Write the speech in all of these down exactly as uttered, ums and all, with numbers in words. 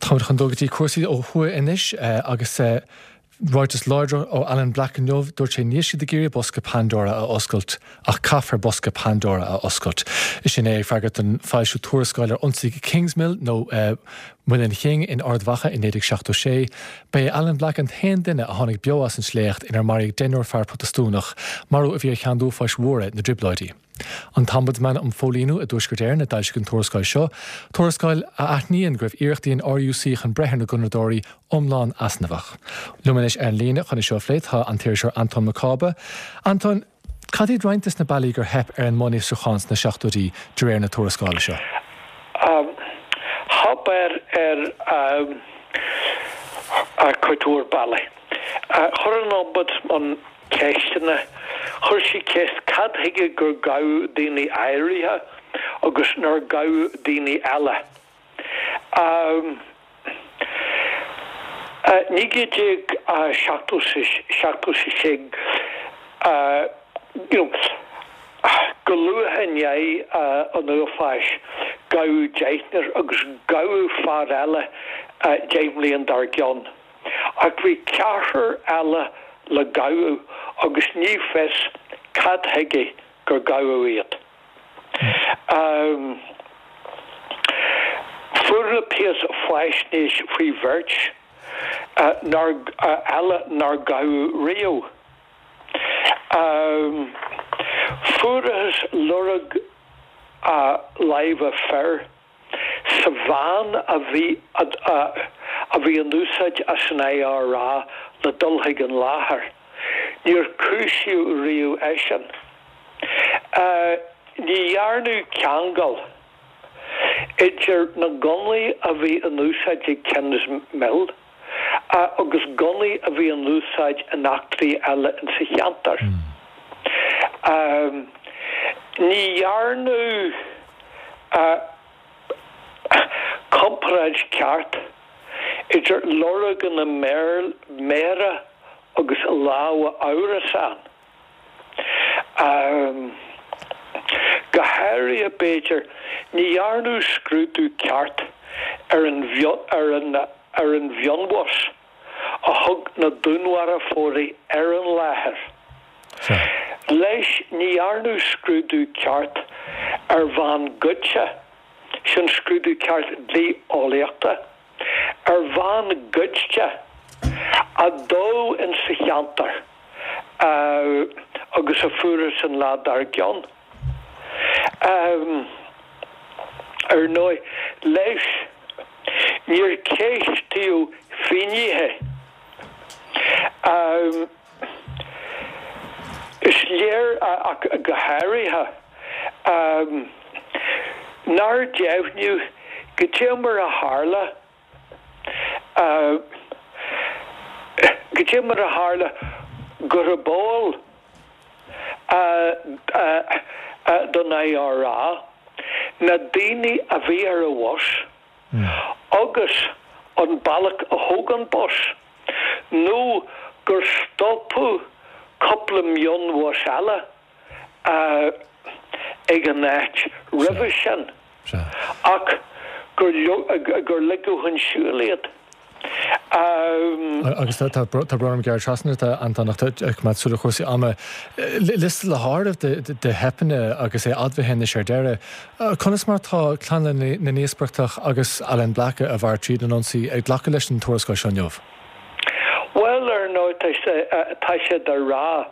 Táimid chun dul go dtí cúrsaí ó thuaidh anois agus ráiteas láidir ó Alan Black inniu dúirt sé níl siad ag iarraidh bosca Pandora a oscailt ach caithfear bosca Pandora a oscailt. Sin é ag freagairt don foilsiú tuarascáil ar ionsaí Kingsmill nó uh, Muileann King in Ard Mhacha in naoi déag seachtó sé, B'é Alan Black an t-aon duine a tháinig beo as an sléacht inar maraíodh deichniúr fear Protastúnach, marú a bhí ar cheann d'uafáis mhóra na dTrioblóidí. An tOmbudsman um Phóilíniú i dTuaisceart Éireann a d'fhoilsigh an tuarascáil seo, tuarascáil a aithníonn go raibh iarrachtaí an RUC chun breith ar na gunnadóirí iomlán easnamhach. Liom anois ar an líne chun é seo a phlé tá an t-iriseoir Anton Mac Cába. Anton, cad iad roinnt de na bealaí gur theip ar an mbunfhiosrúchán sna seachtóidí de réir na tuarascála seo? Um, theip ar ar um, ar cuid mhór bealaí. Uh, chuir an Ombudsman ceisteanna, chuir sí ceist cad chuige gur gabhadh daoine áirithe agus nár gabhadh daoine eile. Um, uh, naoi déag seachtó seachtó sé uh, you know, go luath i ndiaidh uh, an uafáis gabhadh deichniúr agus gabhadh fear eile uh, deich mbliana dár gcionn. Ach bhí ceathrar eile le gabháil agus ní fios cad chuige gur gabhadh iad. Um, Fuair na pearas faisnéis faoi bheirt uh, nár, uh, eile nár gabhadh riamh. Um, Fuarthas lorg uh, láimhe fir sa veain a bhí a, a, a bhí in úsáid as an IRA le dul chuig an láthair. Níor cúisíodh riamh eisean. Uh, ní dhearnadh ceangal idir na gunnaí a bhí in úsáid ag Kingsmill uh, agus gunnaí a bhí in úsáid in eachtraí eile in sa cheantar. Mm. Um, ní dhearnadh uh, comparáid ceart idir lorganna méire agus lámha amhrasán. Um, go háirithe b'fhéidir ní dhearnadh scrúdú ceart ar an ar an ar an mhionbhus a thug na dúnmharfóirí ar an láthair. Leis ní dhearnadh scrúdú ceart ar veain goidte sin scrúdú ceart dlí-eolaíochta ar veain goidte a dódh in sa cheantar uh, agus a fuarthas an lá dár gcionn. Um, ar ndóigh leis níor ceistíodh finnéithe. Um, is léir ach go háirithe um, nár deimhníodh goidé mar a tharla uh, goidé mar a tharla gurb eol uh, uh, uh, don IRA na daoine a bhí ar an bhus mm. agus an bealach a thóg an bus nó gur stopadh cúpla mionbhus eile uh, ag an áit roimhe sin ach gur gur ligeadh chun siúil iad. Um, agus tá brón gearr trasna Anton ach súil chúrsaí ama liosta le háireamh de theipeanna agus é admhaithe ar deireadh. Conas mar tá clann na n-íospartach agus Alan Black a mhair tríd an ionsaí ag glacadh leis an tuarascáil seo inniu. Well ar ndóigh tá sé a rá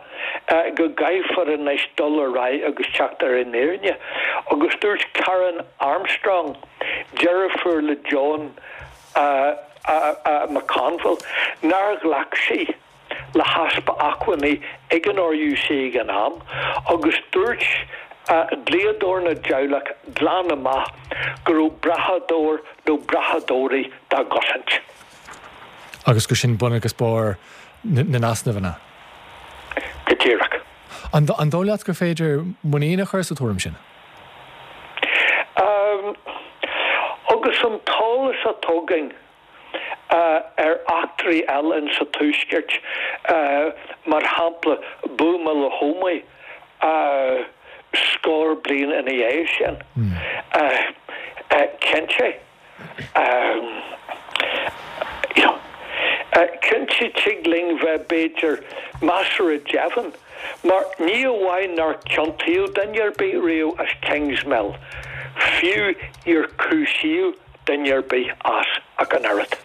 go gcaithfear anois dul ar aghaidh agus teacht ar an fhírinne, agus dúirt Karen Armstrong deirfiúr le John uh, uh, uh, McConville nár ghlac sí le heaspa acmhainní ag an RUC ag an am agus dúirt uh, dlíodóir na dteaghlach glan amach go raibh brathadóir nó brathadóirí dá gcosaint. Agus gur sin bun agus barr na n-easnamhanna. Go díreach. An an dóigh leat gur féidir muinín a chur sa tuairim sin? Um, agus an t-eolas atá againn uh, ar eachtraí eile in sa tuaisceart uh, mar shampla buamáil Thuama uh, scór bliain ina dhiaidh sin. Mm. Uh, uh, cinnte um, Cinnte tig linn bheith b'fhéidir measartha deimhin, mar ní amháin nár ciontaíodh duine ar bith riamh as Kingsmill, fiú níor cúisíodh duine ar bith as ach an oiread.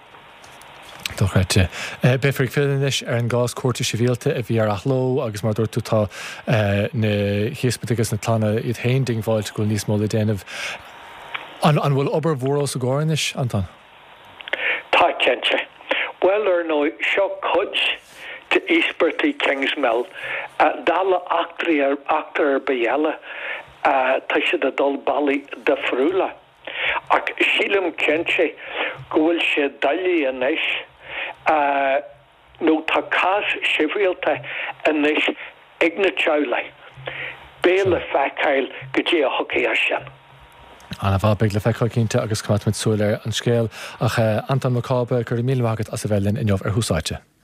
Dochreidte. Beifear ag filleadh anois ar an gcás cúirte sibhialta a bhí ar athló agus mar a dúirt tú tá na híospartaigh agus na clanna iad féin diongbháilte go bhfuil níos mó le déanamh. An bhfuil obair mhór os a gcomhair anois, Anton? Tá, cinnte. Bhuel, ar ndóigh, seo cuid d'íospartaigh Kingsmill. Dála eachtraí, eachtra ar bith eile, tá siad ag dul bealaí difriúla. Ach sílim cinnte go bhfuil sé doiligh anois, nó tá cás sibhialta anois ag na teaghlaigh. Beidh le feiceáil goidé a thiocfaidh as sin. Ana-mhaith, beidh le feiceáil cinnte agus coimeádfaimid súil ar an scéal. Ach Anton Mac Cába, go raibh míle maith agat as a bheith linn inniu ar Thús Áite.